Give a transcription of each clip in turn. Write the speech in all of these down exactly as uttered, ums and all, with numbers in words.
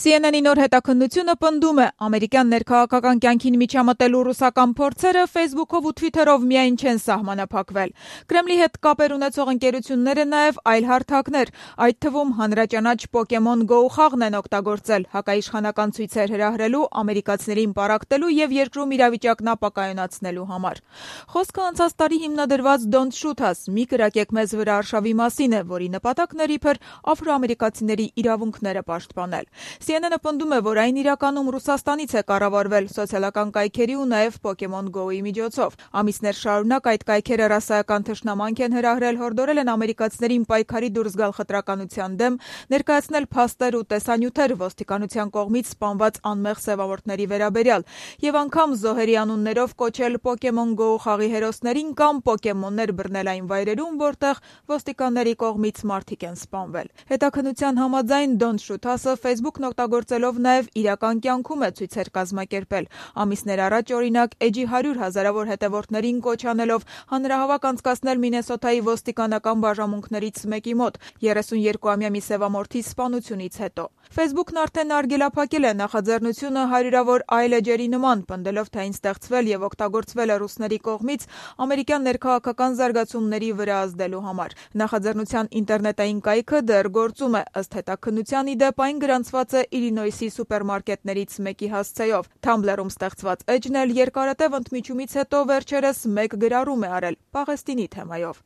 Սի Են Են-ի նոր հետաքննությունը պնդում է, ամերիկյան ներքաղաքական կյանքին միջամտելու ռուսական փորձերը Facebook-ով ու Twitter-ով միայն չեն սահմանափակվել։ Կրեմլի հետ կապեր ունեցող ընկերությունները նաև այլ հարթակներ, այդ թվում հանրաճանաչ Pokemon Go խաղն են օգտագործել հակաիշխանական ցույցեր հրահրելու, ամերիկացիներին պառակտելու եւ երկրում իրավիճակն ապակայունացնելու համար։ Խոսքը անցած տարի հիմնադրված Don't Shoot Us, մի կրակեք մեզ վրա արշավի մասին է, որի նպատակն էր իբր աֆրոամերիկացիների իրավունքները պաշտպանել։ Սի Են Են-ը պնդում է, որ այն իրականում Ռուսաստանից է կառավարվել սոցիալական կայքերի ու նաև Pokemon Go-ի միջոցով։ Ամիսներ շարունակ այդ կայքերը ռասայական թշնամանք են հրահրել, հորդորել են ամերիկացիներին պայքարի դուրս գալ խտրականության դեմ, ներկայացնել փաստեր ու տեսանյութեր ոստիկանության կողմից սպանված անմեղ սևավորների վերաբերյալ եւ անգամ զոհերի անուններով կոչել Pokemon Go խաղի հերոսներին կամ պոկեմոններ բռնել այն վայրերում, որտեղ ոստիկանների կողմից մարդիկ են սպանվել։ Հետաքննության համաձայն Don't Shoot Us-ը Facebook-ն օգտագործելով նաև իրական կյանքում է ցույցեր կազմակերպել։ Ամիսներ առաջ, օրինակ, Էջի հարյուր հազարավոր հետևորդներին կոչ անելով հանրահավաք անցկացնել Մինեսոտայի ոստիկանական բաժանմունքներից մեկի մոտ երեսունյոթամյա մի սևամորթի սպանությունից հետո։ Facebook-ն արդեն արգելափակել է նախաձեռնությունը հարյուրավոր այլ էջերի նման, պնդելով, թե այն ստեղծվել եւ օգտագործվել է ռուսների կողմից ամերիկյան ներքաղաքական զարգացումների վրա ազդելու համար։ Նախաձեռնության ինտերնետային կայքը դեռ գործում է, ըստ հետաքննության, ի դեպ այն գրանցված է Իլինոյսի սուպերմարկետներից մեկի հասցեով։ Tumblr-ում ստեղծված էջն էլ երկարատև ընդմիջումից հետո վերջերս մեկ գրառում է արել Պաղեստինի թեմայով։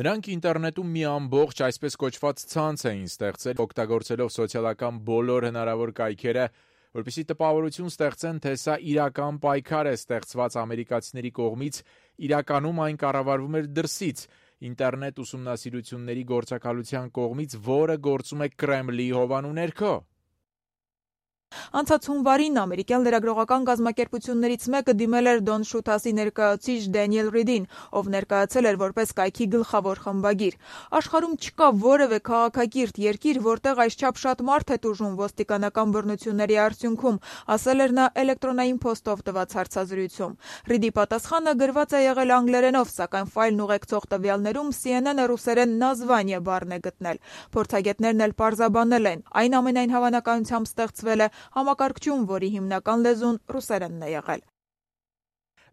Նրանք ինտերնետում մի ամբողջ այսպես կոչված ցանց էին ստեղծել, օգտագործելով սոցիալական բոլոր հնարավոր կայքերը, որպեսզի տպավորություն ստեղծեն, թե սա իրական պայքար է ստեղծված ամերիկացիների կողմից, իրականում այն կառավարվում էր դրսից, ինտերնետ ուսումնասիրությունների գործակալության կողմից, որը գործում է Կրեմլի հովանու ներքո։ Անցած հունվարին ամերիկյան լրագրողական կազմակերպություններից մեկը դիմել էր Don't Shoot Us-ի ներկայացուցիչ Դենիել Ռիդին, ով ներկայացել էր որպես կայքի գլխավոր խմբագիր։ Աշխարհում չկա որևէ քաղաքակիրթ երկիր, որտեղ այսչափ շատ մարդ է տուժում ոստիկանական բռնությունների արդյունքում, ասել էր նա էլեկտրոնային փոստով տված հարցազրույցում։ Ռիդի պատասխանը գրված է եղել անգլերենով, սակայն ֆայլն ուղեկցող տվյալներում Սի Են Են-ը ռուսերեն նազվանիե բառն է գտնել։ Փորձագետներն էլ պարզաբանել են, այն ամենայն հավանականությամբ ստեղծվել է համակարգչում, որի հիմնական լեզուն ռուսերենն է եղել։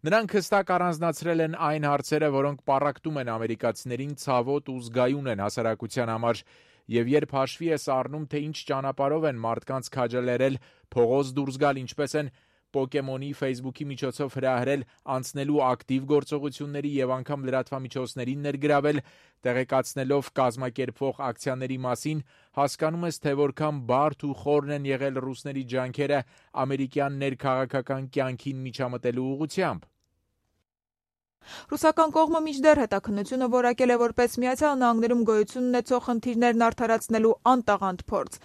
Նրանք հստակ առանձնացրել են այն հարցերը, որոնք պառակտում են ամերիկացիներին, ցավոտ ու զգայուն են հասարակության համար, եւ երբ հաշվի ես առնում, թե ինչ ճանապարհով են մարդկանց քաջալերել փողոց դուրս գալ, ինչպես են Pokemon-ի Facebook-ի միջոցով հրահրել անցնելու ակտիվ գործողությունների եւ անգամ լրատվամիջոցներին ներգրավել, տեղեկացնելով կազմակերպվող ակցիաների մասին, հասկանում ես, թե որքան բարդ ու խորն են եղել ռուսների ջանքերը ամերիկյան ներքաղաքական կյանքին միջամտելու ուղղությամբ։ Ռուսական կողմը մինչդեռ հետաքննությունը որակել է որպես Միացյալ Նահանգներում գոյություն ունեցող խնդիրներն արդարացնելու անտաղանդ փորձ։